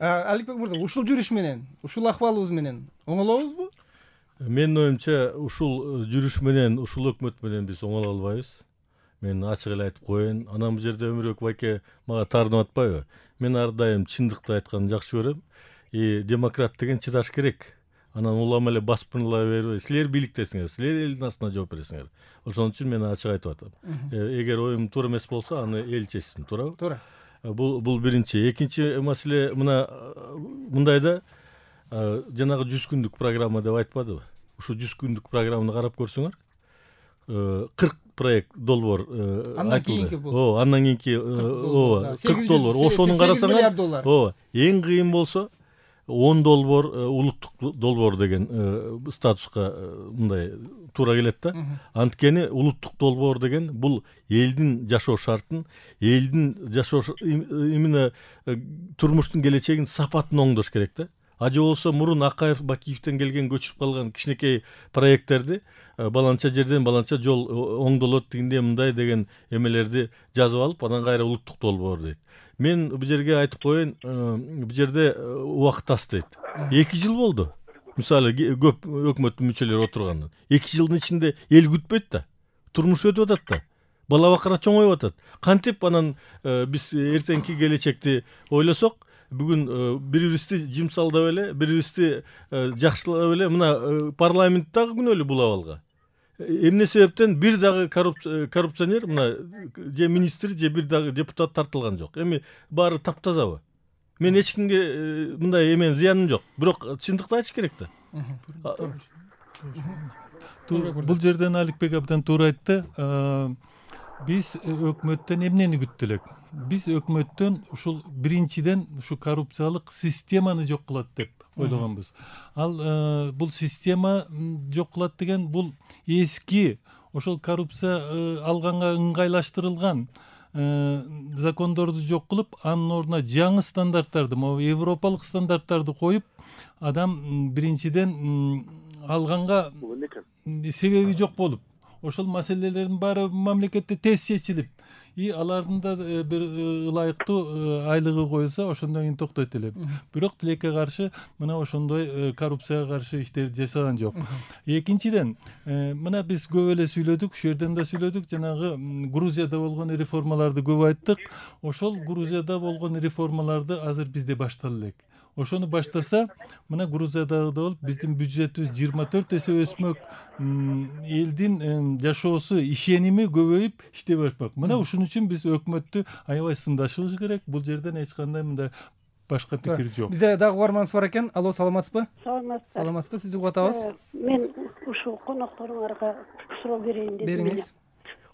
Аликбек мырза, ушул жүрүш менен, ушул акыбалыбыз менен оңолобузбу? Менин оюмча, ушул жүрүш менен, ушул өкмөт менен биз оңоло албайбыз. Мен ачык эле айтып коеюн. Анан бул жерде Өмүрбек байке мага таарынып атпайбы? Мен ар дайым чындыкты айтканды жакшы көрөм. Демократ деген чыдаш керек. Анан улам эле баспырыла бербей, силер бийликтесиңер, силер элдин астына жооп бересиңер. Ошон үчүн мен ачык айтып атам. Эгер оюм туура эмес болсо, аны эл чечсин, туурабы? Туура. Бул биринчи. Экинчи маселе мындайда, жанагы 100 күндүк программа деп айтпадыбы? Ушу 100 күндүк программаны карап көрсөңөр, 40 проект долбоор айтылды. Андан кийинки 40 долбоор. Ошонун карасаңар, эң кыйын болсо 10 долбоор улуттук долбоор деген статуска мындай туура келет да. Анткени улуттук долбоор деген бул элдин жашоо шартын, элдин жашоо именно турмуштун келечегин сапатын оңдош керек да. Ажы болсо мурун Акаев, Бакиевден келген көчүп калган кичинекей проекттерди баланча жерден баланча жол оңдолот дегенде мындай деген эмелерди жазып алып, анан кайра улуттук долбоор дейт. Мен бул жерге айтып коеюн, бул жерде убакыт аз дейт. 2 жыл болду. Мисалы көп өкмөттүн мүчөлөрү отургандан. 2 жылдын ичинде эл күтпөйт да. Турмуш өтүп атат да. Бала бакыра чоңоюп атат. Кантип анан биз эртеңки келечекти ойлосок, бүгүн бири-бирибизди жимсалдап эле, бири-бирибизди жакшылап эле мына парламенттагы күнөөлүү бул абалга. Эмне себептен бир дагы коррупционер, мына же министр, же бир дагы депутат тартылган жок. Эми баары таптазабы? Мен эч кимге мындай эмен зыяным жок. Бирок чындыкты айтыш керек да. Бул жерден Аликбек абдан туура айтты. Биз өкмөттөн эмнени күттү элек? Биз өкмөттөн ушул биринчиден ушу коррупциялык системаны жок кылат деп ойлогонбуз. Ал бул система жок кылат деген бул эски ошол коррупция алганга ыңгайлаштырылган закондорду жок кылып, анын ордуна жаңы стандарттарды, европалык стандарттарды коюп, адам биринчиден алганга себеби жок болуп, ошол маселелердин баары мамлекетте тез чечилип, алардын да бир ылайыктуу айлыгы коюлса, ошондон кийин токтойт эле. Бирок тилекке каршы мына ошондой коррупцияга каршы иштерди жасаган жок. Экинчиден, мына биз көп эле сүйлөдүк, ушул жерден да сүйлөдүк, жанагы Грузияда болгон реформаларды көп айттык. Ошол Грузияда болгон реформаларды азыр бизде баштала элек. Ошону баштаса, мына Грузиядагы болуп, биздин бюджетибиз 24 эсе өсмөк, элдин жашоосу, ишеними көбөйүп иштей башмак. Мына ушун үчүн биз өкмөттү аябай сындашыбыз керек. Бул жерден эч кандай мындай башка пикир жок. Бизде дагы угарманыбыз бар экен. Алло, саламатсызбы? Саламатсызбы, сизди угуп атабыз. Мен ушул конокторуңарга суроо берейин дедим. Бериңиз.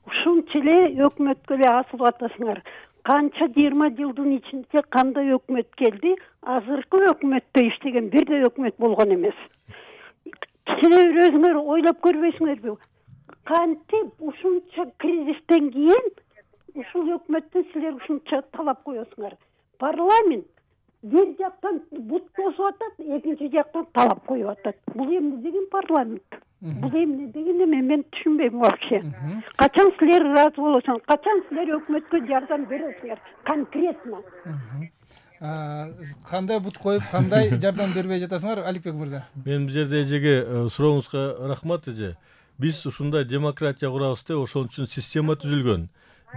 Ушунча эле өкмөткө эле асылып атасыңар. Канча 20 жылдын ичинде кандай өкмөт келди? Азыркы өкмөттө иштеген бир да өкмөт болгон эмес. Силер өзүңөр ойлоп көрбөйсүңөрбү? Кантип ушунча кризистен кийин ушул өкмөттөн силер ушунча талап коесуңар? Парламент бир жактан бут босуп атат, экинчи жактан талап коюп атат. Бул эмне деген парламент? Бул эмне деген эме, мен түшүнбөйм вообще. Качан силер ыраазы болосуңар? Качан силер өкмөткө жардам бересиңер конкретно? Кандай бут коюп, кандай жардам бербей жатасыңар, Аликбек мырза? Мен бул жерде эжеге сурооңузга рахмат эже. Биз ушундай демократия курабыз деп, ошон үчүн система түзүлгөн.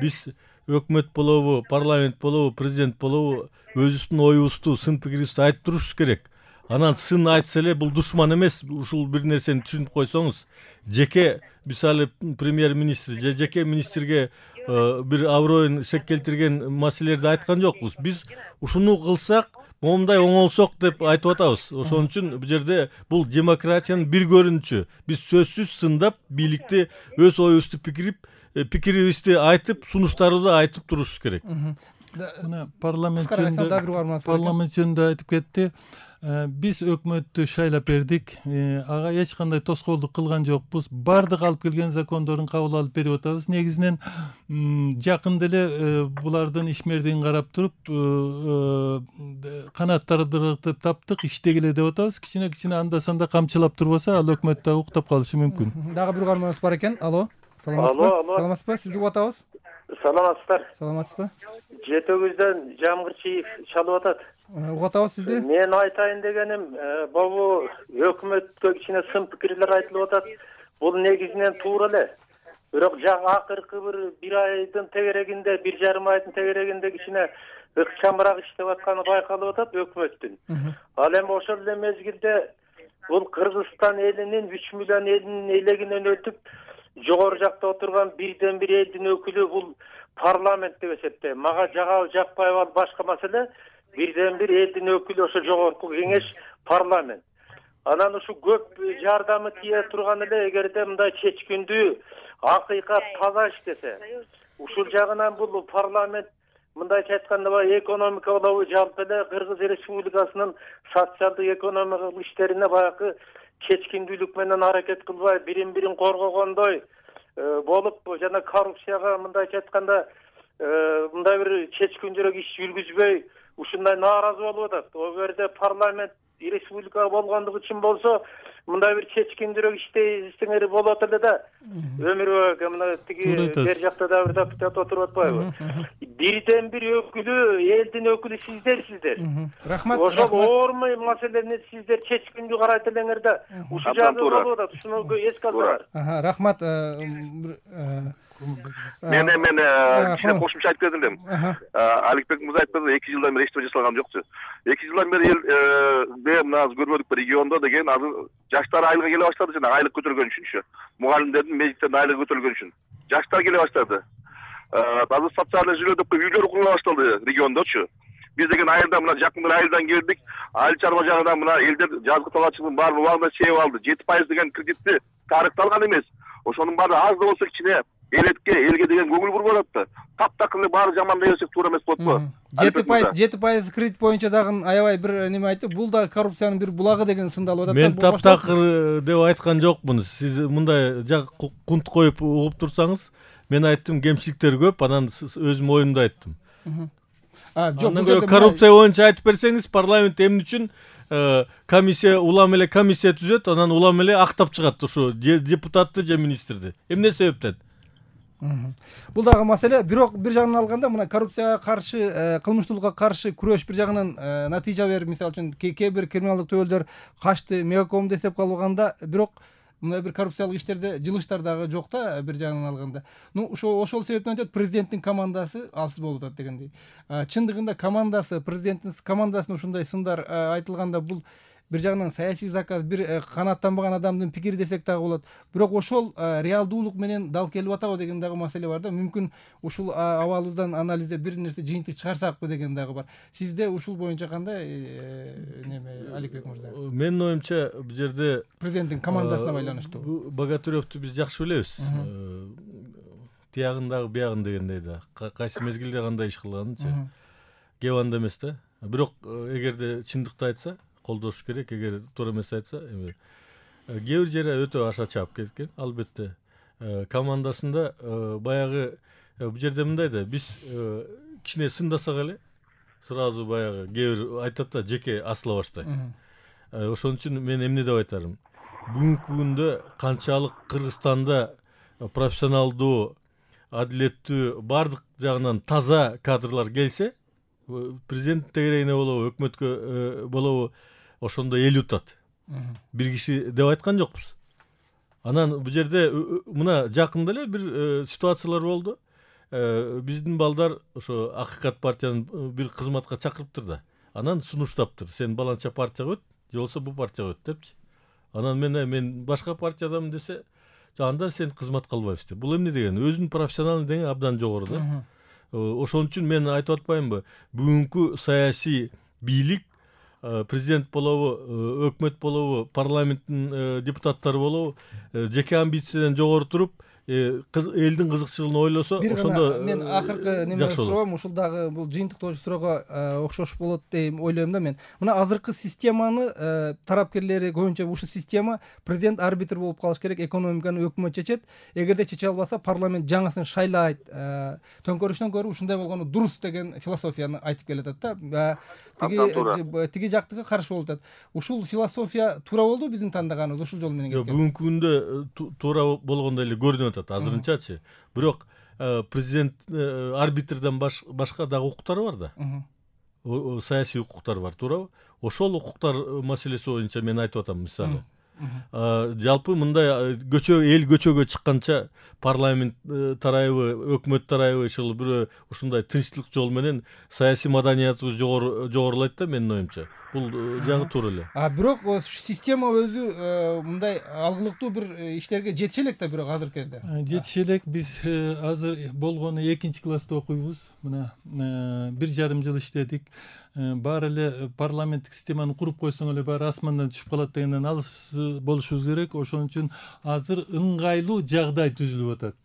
Биз өкмөт болобу, парламент болобу, президент болобу, өзүбүздүн оюбузду, сын пикирибизди айтып турушубуз керек. Анан сын айтса эле бул душман эмес, ушул бир нерсени түшүнүп койсоңуз, жеке мисалы премьер-министр же жеке министрге бир аброюн шек келтирген маселелерди айткан жокпуз. Биз ушуну кылсак, момундай оңолсок деп айтып атабыз. Ошон үчүн бул жерде бул демократиянын бир көрүнүшү. Биз сөзсүз сындап, бийликти өз оюбузду пикирибизди айтып, сунуштарды айтып турушубуз керек. Мына парламент жөнүндө айтып кетти. Биз өкмөттү шайлап бердик. Ага эч кандай тоскоолдук кылган жокпуз. Бардык алып келген закондорун кабыл алып берип атабыз. Негизинен жакында эле булардын ишмердигин карап туруп, канаттарды таптык, иштегиле деп атабыз. Кичине анда-санда камчылап турбаса, ал өкмөт да уктап калышы мүмкүн. Дагы бир угарманыбыз бар экен. Алло. Саламатсызбы? Сизди угуп атабыз. Саламатсыздар. Саламатсызбы? Жетөгүздөн Жамгырчиев чалып атат. угуп атабыз сизди. Мен айтайын дегеним, бул өкмөткө кичине сын пикирлер айтылып атат. Бул негизинен туура эле. Бирок акыркы бир айдын тегерегинде, 1,5 айдын тегерегинде кичине ыкчамыраак иштеп атканы байкалып атат өкмөттүн. Ал эми ошол эле мезгилде бул Кыргызстан элинин 3 миллион элдин элегинен өтүп, жогору жакта отурган бирден бир элдин өкүлү бул парламент деп эсептейм. Мага жагабы жакпайбы ал башка маселе. Бирден бир элдин өкүлү ошо жогорку кеңеш парламент. Анан ушу көп жардамы тие турган эле эгерде мындай чечкиндүү, акыйкат таза иштесе. Ушул жагынан бул парламент мындайча айтканда баягы экономика болобу, жалпы эле Кыргыз Республикасынын социалдык экономикалык иштерине баягы чечкиндүүлүк менен аракет кылбай, бирин коргогондой болуп, жана коррупцияга мындайча айтканда мындай бир чечкиндүүрөөк иш жүргүзбөй, ушундай нааразы болуп атат. О жерде парламент республика болгондугу үчүн болсо, мындай бир чечкиндүүрөөк иштеңери болот эле да. Өмүр бөкө мына тиги бер жакта да бир депутат отуруп атпайбы? Бирден бир өкүлү, элдин өкүлү сиздерсиздер. Рахмат. Ошол оор маселени сиздер чечкиндүү карайт элеңер да. Ушул жагы болуп атат. Ушуну эске алсаңар. Рахмат. Мен кичине кошумча айтып кетем элем. Аликбек мырза айтты, 2 жылдан бери эчтеме жасалган жокчу. 2 жылдан бери мына көрмөдүк региондо деген азыр жаштар айлык келе баштады, жана айлык көтөргөн үчүнчү. Мугалимдердин, медиктердин айлыгы көтөргөн үчүн. Жаштар келе баштады. Азыр социалдык жилөө деп үйлөр курула башталды региондочу. Биз деген айылда мына жакын бир айылдан келдик. Айыл чарба жагынан мына элдер жазгы талаачылыгын баарын убагында чегип алды. 7% деген кредитти тарыкталган эмес. Ошонун баары аз да болсо кичине элге деген көңүл буруп атат. Таптакыр эле баары жаман дей берсек туура эмес болот го. 7% кредит боюнча дагы аябай бир неме айтты. Бул да коррупциянын бир булагы деген сындалып атат. Мен таптакыр деп айткан жокмун. Сиз мындай кунт коюп угуп турсаңыз, мен айттым кемчиликтер көп, анан өзүм оюмду айттым. Жок, коррупция боюнча айтып берсеңиз, парламент эмне үчүн комиссия, улам эле комиссия түзөт, анан улам эле актап чыгат ушу депутатты же министрди. Эмне себептен? Бул дагы маселе. Бирок бир жагынан алганда мына коррупцияга каршы, кылмыштуулукка каршы күрөш бир жагынан натыйжа берип, мисалы үчүн кээ бир криминалдык töөлдөр качты, мегакомду эсепке алганда, бирок мындай бир коррупциялык иштерде жылыштар дагы жок да бир жагынан алганда. Ошол себептен өтөт, президенттин командасы алсыз болуп атат дегендей. Чындыгында президенттин командасына ушундай сындар айтылганда, бул бир жагынан саясий заказ, бир канааттанбаган адамдын пикири десек дагы болот. Бирок ошол реалдуулук менен дал келип атабы деген дагы маселе бар да. Мүмкүн ушул абалыбыздан анализдеп бир нерсе жыйынтык чыгарсакпы деген дагы бар. Сизде ушул боюнча кандай неме, Аликбек мырза? Менин оюмча бул жерде президенттин командасына байланыштуу. Богатыревду биз жакшы билебиз. Тиягындагы биягын дегендей да. Кайсы мезгилде кандай иш кылганынчы. Кеп анда эмес да. Бирок эгерде чындыкты айтса, колдош керек. Эгер туура эмес айтса, кээ бир жери өтө аша чаап кеткен. Албетте командасында баягы бул жерде мындай да, биз кичине сындасак эле сразу баягы кээ бир айтат да, жеке асыла баштайт. Ошон үчүн мен эмне деп айтарым? Бүгүнкү күндө канчалык Кыргызстанда профессионалдуу, адилеттүү, бардык жагынан таза кадрлар келсе, президент тегерегине болобу, өкмөткө болобу, ошондо эл утат. Бир киши деп айткан жокпуз. Анан бул жерде мына жакында эле бир ситуациялар болду. Биздин балдар ошо Акыйкат партиянын бир кызматка чакырыптыр да. Анан сунуштаптыр. Сен баланча партияга өт, же болбосо бул партияга өт депчи. Анан мен башка партиядамын десе, анда сен кызматка албайбыз деп. Бул эмне деген? Өзүнүн профессионалдык деңи абдан жогору да. Ошон үчүн мен айтып атпаймынбы? Бүгүнкү саясий бийлик, президент болобу, өкмөт болобу, парламенттин депутаттары болобу, жеке амбициядан жогору туруп, элдин кызыкчылыгын ойлосо, ошондо мен акыркы неме суроом, ушул дагы бул жыйынтыктоочу суроого окшош болот деп ойлойм да мен. Мына азыркы системаны тарапкерлери көбүнчө ушул система президент арбитр болуп калыш керек, экономиканы өкмөт чечет. Эгерде чече албаса, парламент жаңысын шайлайт. Төңкөрүштөн көрүп ушундай болгону дурус деген философияны айтып келатат да. Тиги жактыгы каршы болуп атат. Ушул философия туура болду биздин тандаганыбыз, ушул жол менен кеткен. Бүгүнкү күндө туура болгондой эле көрүнүп атат азырынчачы. Бирок президент арбитрден башка дагы укуктары бар да. саясий укуктар бар, туурабы? Ошол укуктар маселеси боюнча мен айтып атам мисалы. Жалпы мындай эл көчөгө чыкканча парламент тарайбы, өкмөт тарайбы ушул бир ушундай тынчтык жол менен саясий маданиятыбыз жогорулайт да менин оюмча. Бул жагы туура эле. Бирок система өзү мындай алгылыктуу бир иштерге жетише элек да, бирок азыркы кезде. Жетише элек. Биз азыр болгону 2-класста окуйбуз. Мына 1,5 жыл иштедик. Баары эле парламенттик системаны куруп койсоң эле баары асмандан түшүп калат дегенден алыс болушубуз керек. Ошон үчүн азыр ыңгайлуу жагдай түзүлүп атат.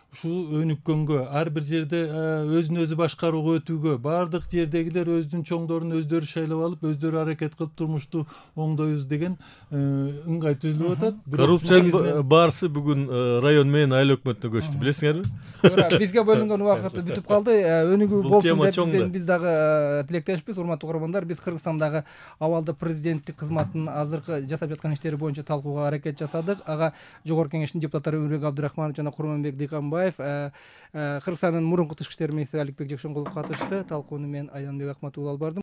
Ушул өнүккөнгө, ар бир жерде өзүн өзү башкарууга өтүүгө, баардык жердегилер өзүнүн чоңдорун өздөрү шайлап алып, өздөрү аракет кылып турмушту оңдойбуз деген ыңгай түзүлүп атат. Коррупциянын баарысы бүгүн район менен айыл өкмөтүнө көчтү, билесиңерби? Туура, бизге бөлүнгөн убакыт бүтүп калды. Өнүгүү болсун деп биз дагы тилектешпиз. Урматтуу угармандар, биз Кыргызстандагы абалда президенттик кызматтын азыркы жасап жаткан иштери боюнча талкууга аракет жасадык. Ага Жогорку Кеңештин депутаттары Өмүрбек Абдырахманов жана Курманбек Дыйканбаев, Кыргызстандын мурунку тышкы иштер министри Аликбек Жекшенкулов катышты. Талкууну мен Айданбек Акматулла алып бардым.